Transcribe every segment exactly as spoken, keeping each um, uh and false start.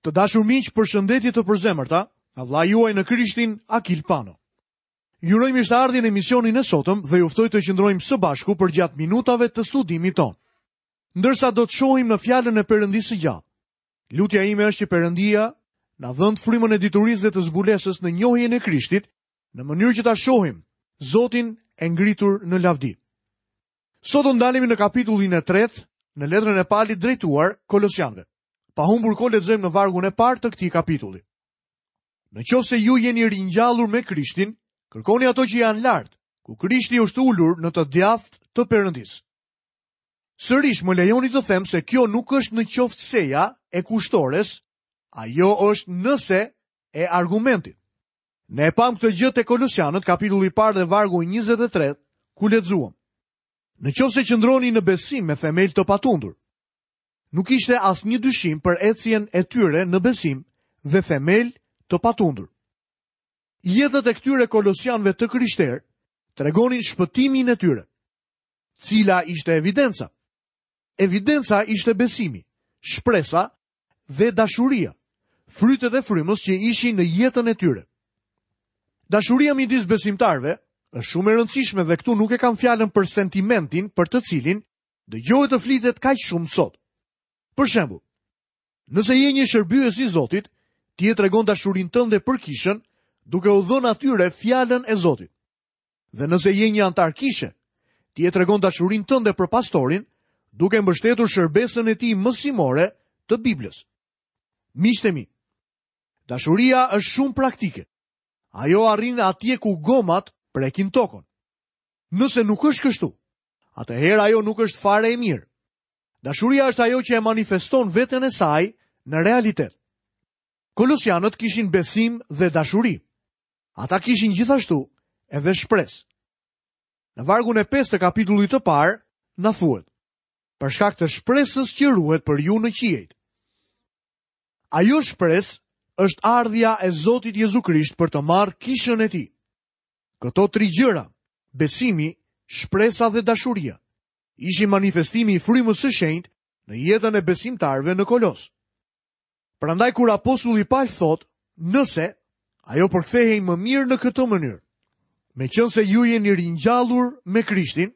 Të dashur miq, përshëndetje të përzemërta, nga vëllai juaj në Krishtin, Akil Pano. Ju uroj mirëseardhjen në emisionin e sotëm dhe ju ftoj të qëndrojmë së bashku përgjatë minutave të studimit tonë. Ndërsa do të shohim në fjalën e Perëndisë së gjallë. Lutja ime është që Perëndia na dhëntë frymën e diturisë dhe të zbulesës në njohjen e Krishtit, në mënyrë që ta shohim Zotin e ngritur në lavdi. Sot do ndalemi në kapitullin e tretë në letrën e Palit drejtuar Kolosianëve. Pa humbur kohë lexojmë në vargun e parë të këtij kapitulli. Në qoftë se ju jeni ringjallur me Krishtin, kërkoni ato që janë lart, ku Krishti është ulur në të djathtë të Perëndisë. Sërish më lejoni të them se kjo nuk është në qoftëseja e kushtores, ajo është nëse e argumentit. Ne e pam këtë gjë te Kolosianët, kapitulli i parë dhe vargu njëzet e tre, ku lexuam. Në qoftë se qëndroni në besim me themel të patundur, nuk ishte asnjë dyshim për ecjen e tyre në besim dhe themel të patundur. Jetët e këtyre kolosianëve të krishterë tregonin shpëtimin e tyre. Cila ishte evidenca? Evidenca ishte besimi, shpresa dhe dashuria, frytet e frymës që ishin në jetën e tyre. Dashuria midis besimtarëve është shumë e rëndësishme dhe këtu nuk e kam fjalën për sentimentin për të cilin dëgjohet të flitet kaq shumë sot. Për shembull, nëse je një shërbyes i Zotit, ti e tregon dashurinë tënde për kishën duke u dhënë atyre fjalën e Zotit. Dhe nëse je një antar kishe, ti e tregon dashurinë tënde për pastorin duke mbështetur shërbesën e tij mësimore të Biblës. Miqtë e mi, dashuria është shumë praktike. Ajo arrin atje ku gomat prekin tokën. Nëse nuk është kështu, atëherë ajo nuk është fare e mirë. Dashuria është ajo që e manifeston veten e saj në realitet. Kolosianët kishin besim dhe dashuri. Ata kishin gjithashtu edhe shpresë. Në vargun e pestë të kapitullit të parë na thuhet: Për shkak të shpresës që ruhet për ju në qiejt. Ajo shpresë është ardhja e Zotit Jezu Krisht për të marrë kishën e tij. Këto tri gjëra, besimi, shpresa dhe dashuria, ishin manifestimi i frymës së shenjtë në jetën e besimtarëve në Kolos. Prandaj kur apostulli Paul thotë, nëse, ajo përkthehej më mirë në këtë mënyrë. Meqense ju jeni ringjallur me Krishtin,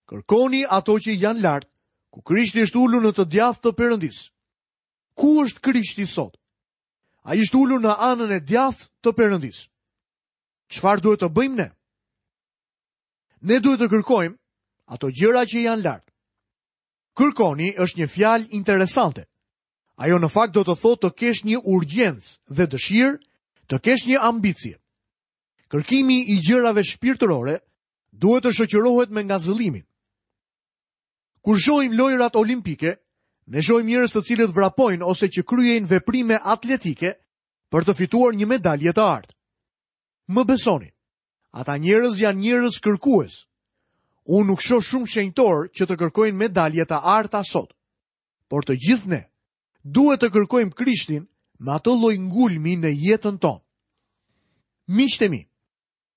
kërkoni ato që janë lart, ku Krishti është ulur në të djathtë të Perëndisë. Ku është Krishti sot? Ai është ulur në anën e djathtë të Perëndisë. Çfarë duhet të bëjmë ne? Ne duhet të kërkojmë ato gjëra që janë lart. Kërkoni është një fjalë interesante. Ajo në fakt do të thotë të kesh një urgjencë dhe dëshirë, të kesh një ambicie. Kërkimi i gjërave shpirtërore duhet të shoqërohet me ngazëllimin. Kur shohim lojrat olimpike, ne shohim njerëz të cilët vrapojnë ose që kryejnë veprime atletike për të fituar një medalje të artë. Më besoni, ata njerëz janë njerëz kërkues. Unë nuk shoh shumë shenjtor që të kërkojnë medalje të arta sot. Por të gjithë ne duhet të kërkojmë Krishtin me atë lloj ngulmi në jetën tonë. Miqtë e mi,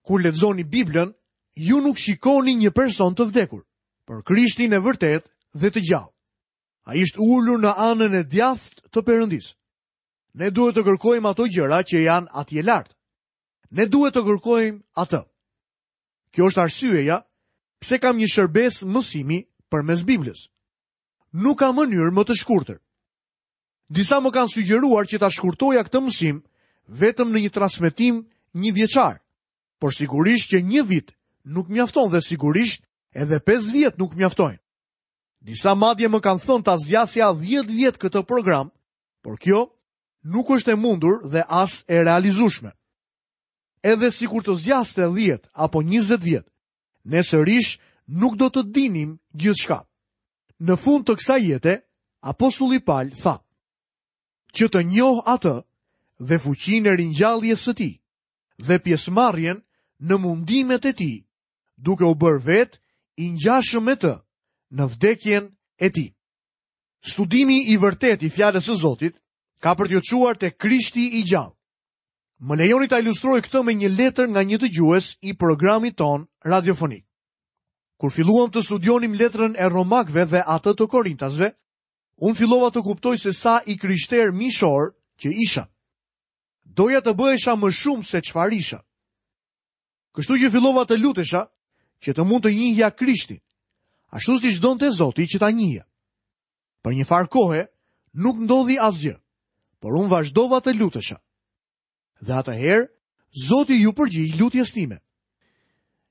kur lexoni Biblën, ju nuk shikoni një person të vdekur, por Krishtin e vërtetë dhe të gjallë. Ai është ulur në anën e djathtë të Perëndisë. Ne duhet të kërkojmë ato gjëra që janë atje lart. Ne duhet të kërkojmë atë. Kjo është arsyeja pse kam një shërbesë mësimi përmes Biblës. Nuk ka mënyrë më të shkurtër. Disa më kanë sugjeruar që ta shkurtoja këtë mësim vetëm në një transmetim një vjeçar, por sigurisht që një vit nuk mjafton dhe sigurisht edhe pesë vjet nuk mjaftojnë. Disa madje më kanë thënë ta zgjasja dhjetë vjet këtë program, por kjo nuk është e mundur dhe as e realizueshme. Edhe sikur të zgjaste dhjetë apo njëzet vjet, ne sërish nuk do të dinim gjithçka. Në fund të kësaj jete, apostulli Paul tha: që të njoh atë dhe fuqinë e ringjalljes së tij dhe pjesëmarrjen në mundimet e tij, duke u bërë vetë i ngjashëm me të në vdekjen e tij. Studimi i vërtetë i fjalës së Zotit ka për t'ju çuar te Krishti i gjallë. Më lejoni ta ilustroj këtë me një letër nga një dëgjues i programit ton radiofonik. Kur filluam të studionim letrën e Romakëve dhe atë të Korintasve, unë fillova të kuptoj se sa i krishter mishor që isha. Doja të bëhesha më shumë se çfarë isha. Kështu që fillova të lutesha që të mund të njihja Krishtin, ashtu siç donte Zoti që ta njihja. Për një farë kohe nuk ndodhi asgjë, por unë vazhdova të lutesha. Dhe atëherë Zoti ju përgjigj lutjes time.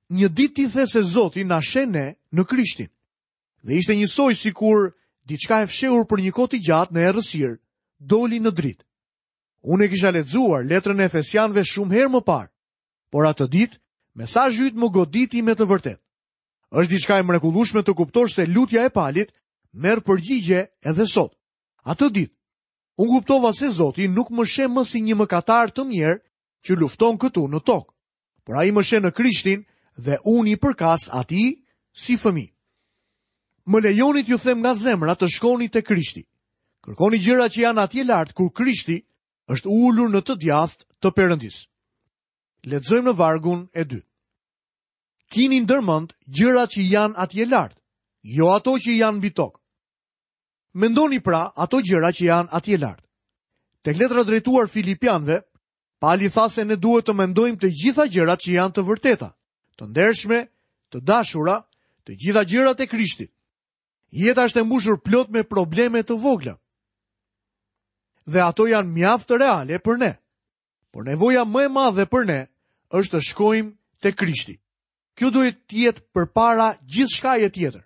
Një ditë ti the se Zoti na sheh ne në Krishtin. Dhe ishte njësoj sikur diçka e fshehur për një kohë të gjatë në errësirë doli në dritë. Unë e kisha lexuar letrën e Efesianëve shumë herë më parë, por atë ditë mesazhi yt më goditi me të vërtetë. Është diçka e mrekullueshme të kuptosh se lutja e Palit merr përgjigje edhe sot. Atë ditë, unë kuptova se Zoti nuk më sheh më si një mëkatar të mirë që lufton këtu në tokë, por ai më sheh në Krishtin dhe unë i përkas atij si fëmijë. Më lejoni t'ju them nga zemra të shkoni te Krishti. Kërkoni gjëra që janë atje lart kur Krishti është ulur në të djathtë të Perëndisë. Lexojmë në vargun e dytë. Kini ndërmend gjërat që janë atje lart, jo ato që janë mbi tokë. Mendoni pra ato gjëra që janë atje lart. Tek letra drejtuar Filipianëve, Pali tha se ne duhet të mendojmë të gjitha gjërat që janë të vërteta, të ndershme, të dashura, të gjitha gjërat e Krishtit. Jeta është e mbushur plot me probleme të vogla. Dhe ato janë mjaft reale për ne. Por nevoja më e madhe për ne është të shkojmë te Krishti. Kjo duhet të jetë përpara gjithçkaje tjetër.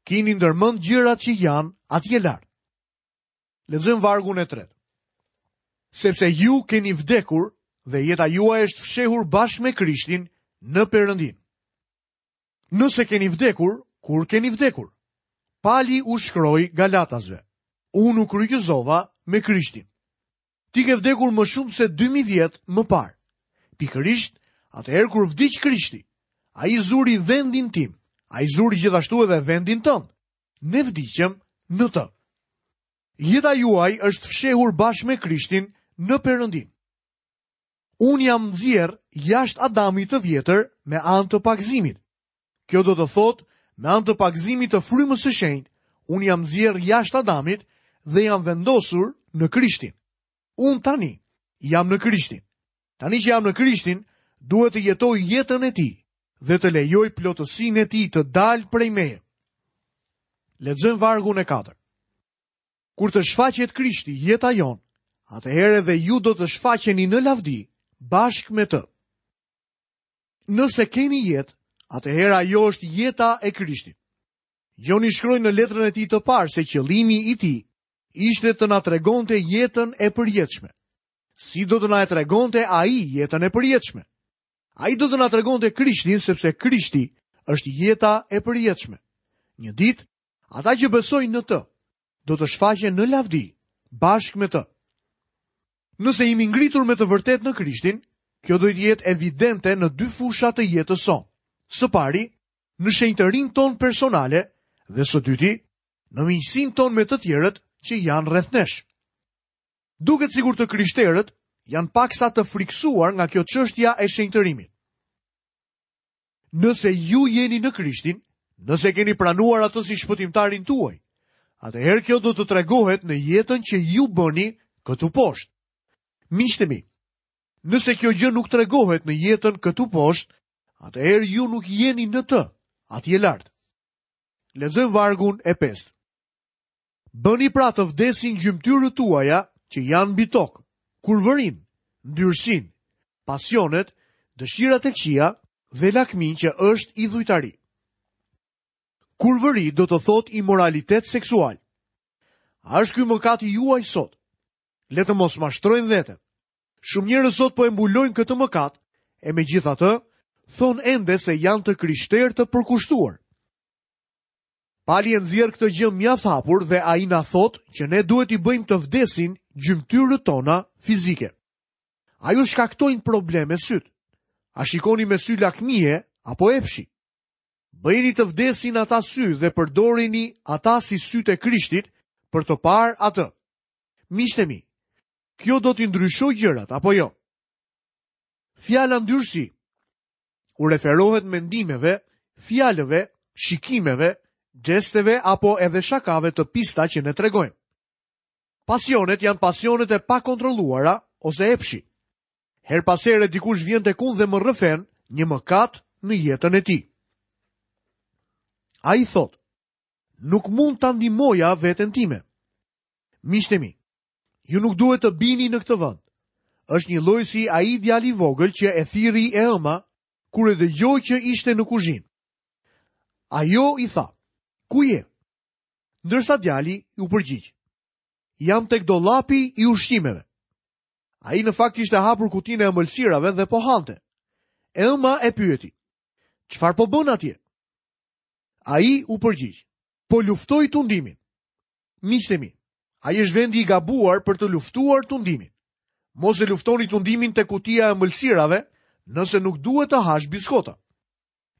Kini ndërmend gjërat që janë atje lart. Lexojmë vargun e tretë. Sepse ju keni vdekur dhe jeta juaj është fshehur bashkë me Krishtin në Perëndin. Nëse keni vdekur, kur keni vdekur? Pali u shkroi Galatasve. Unë u kryqëzova me Krishtin. Ti ke vdekur më shumë se dy mijë vjet më parë. Pikërisht, atëherë kur vdiq Krishti, ai zuri vendin tim, ai zuri gjithashtu edhe vendin tënd. Ne vdiqëm në të. Jeta juaj është fshehur bashkë me Krishtin në Perëndin. Unë jam nxjerr jashtë Adamit të vjetër me anë të pagëzimit. Kjo do të thotë, me anë të pagëzimit të frymës së shenjtë, unë jam nxjerr jashtë Adamit dhe jam vendosur në Krishtin. Unë tani jam në Krishtin. Tani që jam në Krishtin, duhet të jetoj jetën e tij dhe të lejoj plotësinë e tij të dalë prej meje. Lexojmë vargun e katërt. Kur të shfaqet Krishti, jeta jonë, atëherë edhe ju do të shfaqeni në lavdi bashkë me të. Nëse keni jetë, atëherë ajo është jeta e Krishtit. Gjoni shkroi në letrën e tij të parë se qëllimi i tij ishte të na tregonte jetën e përjetshme. Si do të na e tregonte ai jetën e përjetshme? Ai do të na tregonte Krishtin, sepse Krishti është jeta e përjetshme. Një ditë, ata që besojnë në të, do të shfaqen në lavdi bashkë me të. Nëse jemi ngritur me të vërtetë në Krishtin, kjo do të jetë evidente në dy fusha të jetës sonë. Së pari, në shenjtërinë tonë personale dhe së dyti, në miqësinë tonë me të tjerët që janë rreth nesh. Duket sikur të krishterët janë paksa të friksuar nga kjo çështja e shenjtërimit. Nëse ju jeni në Krishtin, nëse keni pranuar atë si shpëtimtarin tuaj, atëherë kjo do të tregohet në jetën që ju bëni këtu poshtë. Miqtë mi, nëse kjo gjë nuk tregohet në jetën këtu poshtë, atëherë ju nuk jeni në të, atje lart. Lexojmë vargun e pestë. Bëni pra të vdesin gjymtyrët tuaja që janë mbi tokë, kurvërin, ndyrësinë, pasionet, dëshirat e këqija dhe lakmin që është idhujtari. Kurvëri do të thotë imoralitet seksual. A është ky mëkati juaj sot? Le të mos mashtrojmë veten. Shumë njerëz sot po e mbulojnë këtë mëkat, e megjithatë, thonë ende se janë të krishterë të përkushtuar. Pali e nxjerr këtë gjë mjaft hapur dhe ai na thotë që ne duhet i bëjmë të vdesin gjymtyrët tona fizike. A ju shkaktojnë probleme syt? A shikoni me sy lakmie apo epshi? Bëjini të vdesin ata sy dhe përdorini ata si sytë e Krishtit për të parë atë. Miqtë e mi, kjo do t'i ndryshojë gjërat apo jo? Fjala ndyrësi u referohet mendimeve, fjalëve, shikimeve, gjesteve apo edhe shakave të pista që ne tregojmë. Pasionet janë pasionet e pakontrolluara ose epshi. Herë pas here dikush vjen tek unë dhe më rrëfen një mëkat në jetën e tij. Ai thotë, nuk mund ta ndihmoja veten time. Miqtë e mi, ju nuk duhet të bini në këtë vend. Është një lloj si ai djali i vogël që e thirri e ëma kur e dëgjoi që ishte në kuzhinë. Ajo i tha, ku je? Ndërsa djali u përgjigj, jam tek dollapi i ushqimeve. Ai në fakt kishte hapur kutinë e ëmbëlsirave dhe po hante. E ëma e pyeti, çfarë po bën atje? Ai u përgjigj, po luftoj tundimin. Miqtë e mi, ai është vendi i gabuar për të luftuar tundimin. Mos e luftoni tundimin te kutia e ëmbëlsirave nëse nuk duhet të hash biskota.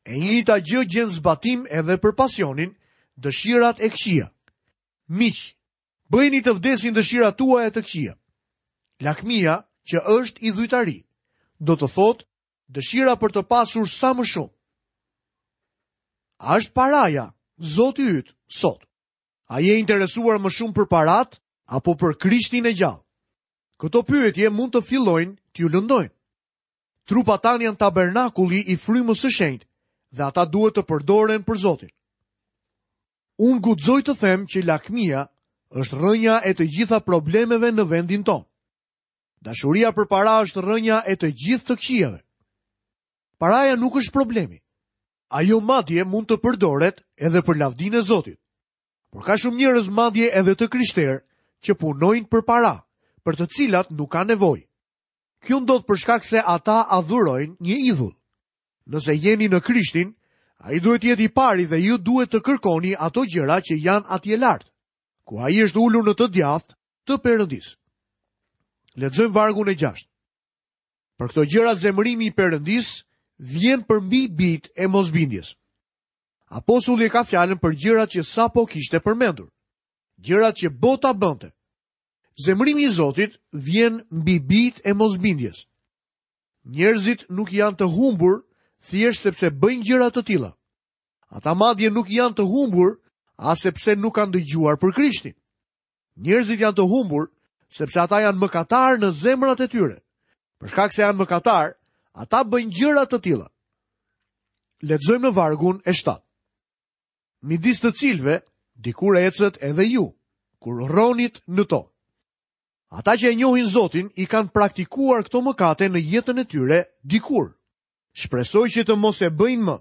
E njëjta gjë gjen zbatim edhe për pasionin, dëshirat e këqija. Miq, bëjini të vdesin dëshirat tuaja të këqija. Lakmia, që është idhujtari, do të thotë dëshira për të pasur sa më shumë. A është paraja Zoti yt sot? A je interesuar më shumë për parat apo për Krishtin e gjallë? Këto pyetje mund të fillojnë t'ju lëndojnë. Trupat tanë janë tabernakulli i frymës së shenjtë dhe ata duhet të përdoren për Zotin. Unë guxoj të them që lakmia është rrënja e të gjitha problemeve në vendin tonë. Dashuria për para është rrënja e të gjithë të këqijave. Paraja nuk është problemi. Ajo madje mund të përdoret edhe për lavdinë e Zotit. Por ka shumë njerëz madje edhe të krishterë që punojnë për para, për të cilat nuk ka nevojë. Kjo ndodh për shkak se ata adhurojnë një idhull. Nëse jeni në Krishtin, ai duhet të jetë i pari dhe ju duhet të kërkoni ato gjëra që janë atje lart, ku ai është ulur në të djathtë të Perëndisë. Lexojmë vargun e gjashtë. Për këto gjëra zemërimi i Perëndisë vjen përmbi bijt e mosbindjes. Apostulli e ka fjalën për gjërat që sapo kishte përmendur, gjërat që bota bënte. Zemërimi i Zotit vjen mbi bijt e mosbindjes. Njerëzit nuk janë të humbur thjesht sepse bëjnë gjëra të tilla. Ata madje nuk janë të humbur as sepse nuk kanë dëgjuar për Krishtin. Njerëzit janë të humbur sepse ata janë mëkatar në zemrat e tyre. Për shkak se janë mëkatar, ata bëjnë gjëra të tilla. Lexojmë në vargun e shtatë. Midis të cilëve dikur ecët edhe ju, kur rronit në to. Ata që e njohin Zotin i kanë praktikuar këto mëkate në jetën e tyre dikur. Shpresoj që të mos e bëjnë më.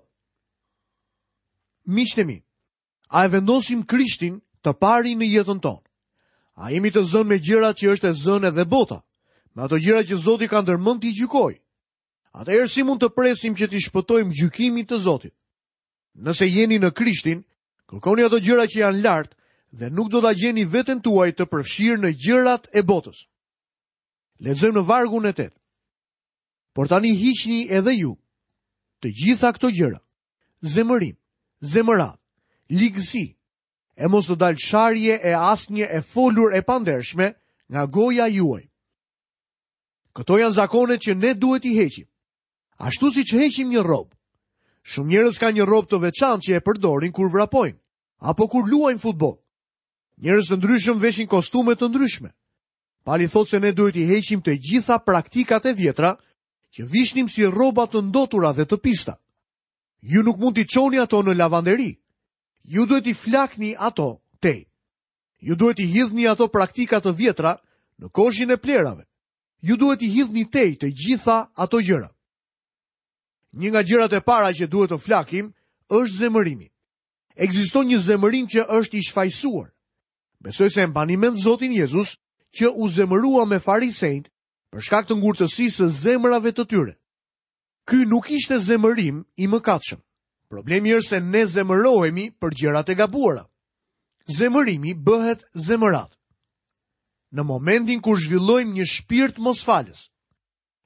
Miqtë e mi, a e vendosim Krishtin të parin në jetën tonë? A jemi të zënë me gjërat që është e zënë edhe bota, me ato gjëra që Zoti ka ndërmend t'i gjykojë? Atëherë si mund të presim që t'i shpëtojmë gjykimit të Zotit? Nëse jeni në Krishtin, kërkoni ato gjëra që janë lart dhe nuk do ta gjeni veten tuaj të përfshirë në gjërat e botës. Lexojmë në vargun e tetë. Por tani hiqni edhe ju të gjitha këto gjëra: zemërim, zemërat, ligësi, e mos të dalë sharje e asnjë e folur e pandershme nga goja juaj. Këto janë zakonet që ne duhet i heqim. Ashtu siç heqim një rrobë. Shumë njerëz kanë një rrobë të veçantë që e përdorin kur vrapojnë apo kur luajnë futboll. Njerëz të ndryshëm veshin kostume të ndryshme. Pali thotë se ne duhet i heqim të gjitha praktikat e vjetra që vishnim si rroba të ndotura dhe të pista. Ju nuk mund t'i çoni ato në lavanderi. Ju duhet t'i flakni ato tej. Ju duhet t'i hidhni ato praktika të vjetra në koshin e plerave. Ju duhet t'i hidhni tej të gjitha ato gjëra. Një nga gjërat e para që duhet të flakim është zemërimi. Ekziston një zemërim që është i shfajsuar. Besoj se e mbani mend Zotin Jezus që u zemërua me farisejt për shkak të ngurtësisë së zemrave të tyre. Ky nuk ishte zemërim i mëkatshëm. Problemi është se ne zemërohemi për gjërat e gabuara. Zemërimi bëhet zemërat. Në momentin kur zhvillojmë një shpirt mosfalës.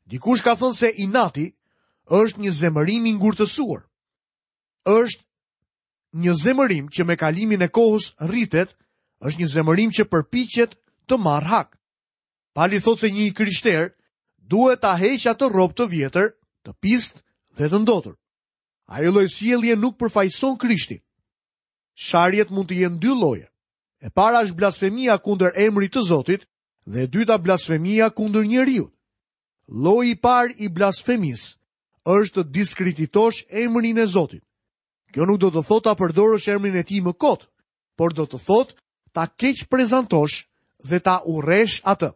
Dikush ka thënë se inati është një zemërim i ngurtësuar. Është një zemërim që me kalimin e kohës rritet, është një zemërim që përpiqet të marrë hak. Pali thotë se një i krishter duhet ta heqë atë rrobë të vjetër, të pistë dhe të ndotur. Ajo lloj sjellje nuk përfaqëson Krishtin. Sharjet mund të jenë dy lloje. E para është blasfemia kundër emrit të Zotit dhe e dyta blasfemia kundër njeriut. Lloji i parë i blasfemisë është të diskreditosh emrin e Zotit. Kjo nuk do të thotë ta përdorësh emrin e tij më kot, por do të thotë ta keq prezantosh dhe ta urresh atë.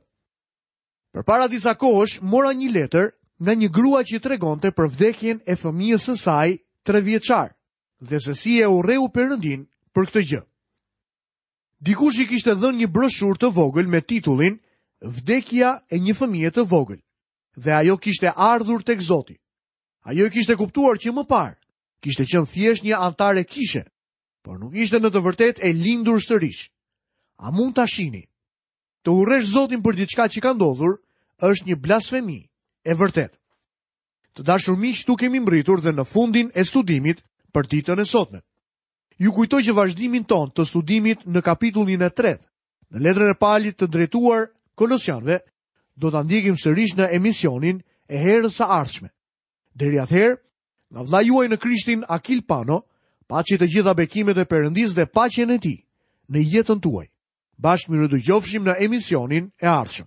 Përpara disa kohësh mora një letër nga një grua që tregonte për vdekjen e fëmijës së saj tre vjeçar dhe se si e urreu Perëndin për këtë gjë. Dikush i kishte dhënë një broshurë të vogël me titullin Vdekja e një fëmije të vogël dhe ajo kishte ardhur tek Zoti. Ajo e kishte kuptuar që më parë kishte qenë thjesht një anëtare kishe, por nuk ishte në të vërtetë e lindur sërish. A mund ta shihni? Të urresh Zotin për diçka që ka ndodhur është një blasfemi e vërtetë. Të dashur miq, këtu kemi mbërritur dhe në fundin e studimit për ditën e sotme. Ju kujtoj që vazhdimin ton të studimit në kapitullin e tretë, në letrën e Palit të drejtuar Kolosianëve, do ta ndjekim sërish në emisionin e herës së ardhshme. Deri atëherë, nga vëllai juaj në Krishtin Akil Pano, paçi të gjitha bekimet e Perëndisë dhe paqen e tij në jetën tuaj. Bashkë mirudëgjofshim në emisionin e ardhshëm.